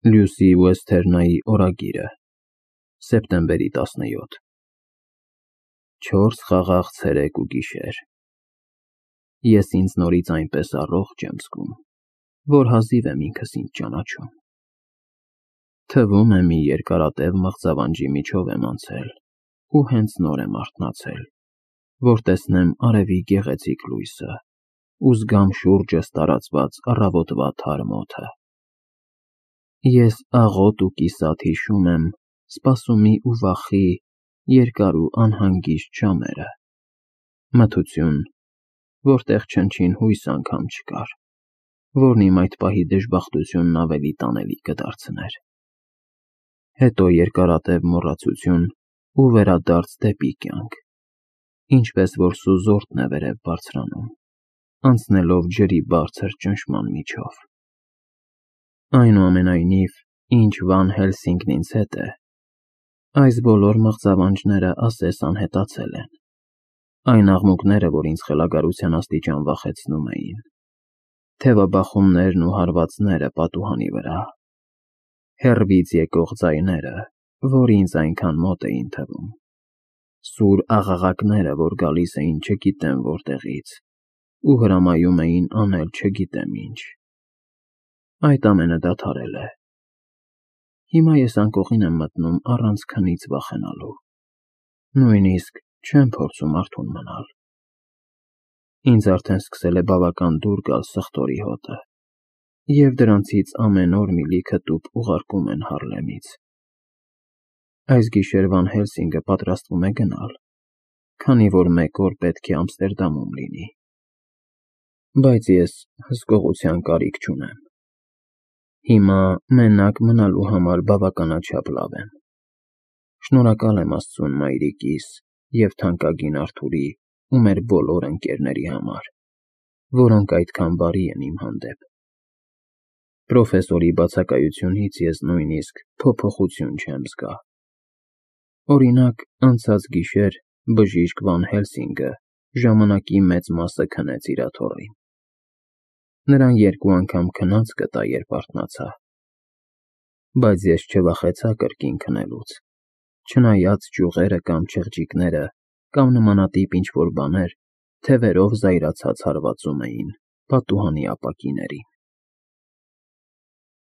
Լյուսի Ուեսթերնայի օրագիրը, սեպտեմբերի 17 4 խաղաղ ցերեկ ու գիշեր։ Ես ինձ նորից այնպես առողջ եմ զգում, որ հազիվ եմ ինքս ինձ ճանաչում։ Թվում է մի երկարատև մղձավանջի միջով եմ անցել ու հենց նոր եմ արթնացել, որ տեսնեմ արևի գեղեցիկ լույսը ու զգամ շուրջս տարածված առավոտվա թարմ օդը։ Ես աղոտ ու կիսատ հիշում եմ սպասումի ու վախի երկար ու անհանգիստ ժամերը, մթություն, որտեղ չնչին հույս անգամ չկար, որն իմ այդ պահի դժբախտությունն ավելի տանելի կդարձներ։ Հետո երկարատև մոռացություն ու վերադարձ դեպի կյանք, ինչպես որ սուզորդն է վերև բարձրանում, անցնելով ջրի բարձր ճնշման միջով։ Այնուամենայնիվ, ինչ Վան Հելսինգն ինձ հետ է, այս բոլոր մղձավանջները ասես անհետացել են, այն աղմուկները, որ ինձ խելագարության աստիճան վախեցնում էին, թևաբախումներն ու հարվածները պատուհանի վրա, հեռվից եկող ձայները, որ ինձ այնքան մոտ էին թվում, սուր աղաղակները, որ գալիս էին չգիտեմ որտեղից ու հրամայում էին անել չգիտեմ ինչ։ Այդ ամենը դադարել է։ Հիմա ես անկողին եմ մտնում առանց քնից վախենալու, նույնիսկ չեմ փորձում արթուն մնալ։ Ինձ արդեն սկսել է բավական դուր գալ սխտորի հոտը, և դրանցից ամեն օր մի լիքը տուփ ուղարկում են Հարլեմից։ Այս գիշեր Վան Հելսինգը պատրաստվում է գնալ, քանի որ մեկ օր պետք է Ամստերդամում լինի։ Բայց ես հսկողության կարիք չունեմ։ Հիմա մենակ մնալու համար բավականաչափ լավ եմ։ Շնորհակալ եմ Աստծուն մայրիկիս և թանկագին Արթուրի ու մեր բոլոր ընկերների համար, որոնք այդքան բարի են իմ հանդեպ։ Պրոֆեսորի բացակայությունից ես նույնիսկ փոփոխություն չեմ զգա։ Օրինակ, անցած գիշեր բժիշկ Վան Հելսինգը ժամանակի մեծ մասը քնեց իր աթոռին։ Նրան 2 անգամ քնած կտա, երբ արթնացա։ Բայց ես չվախեցա կրկին քնելուց, չնայած ճյուղերը կամ չղջիկները կամ նմանատիպ ինչ-որ բաներ թևերով զայրացած հարվածում էին պատուհանի ապակիներին։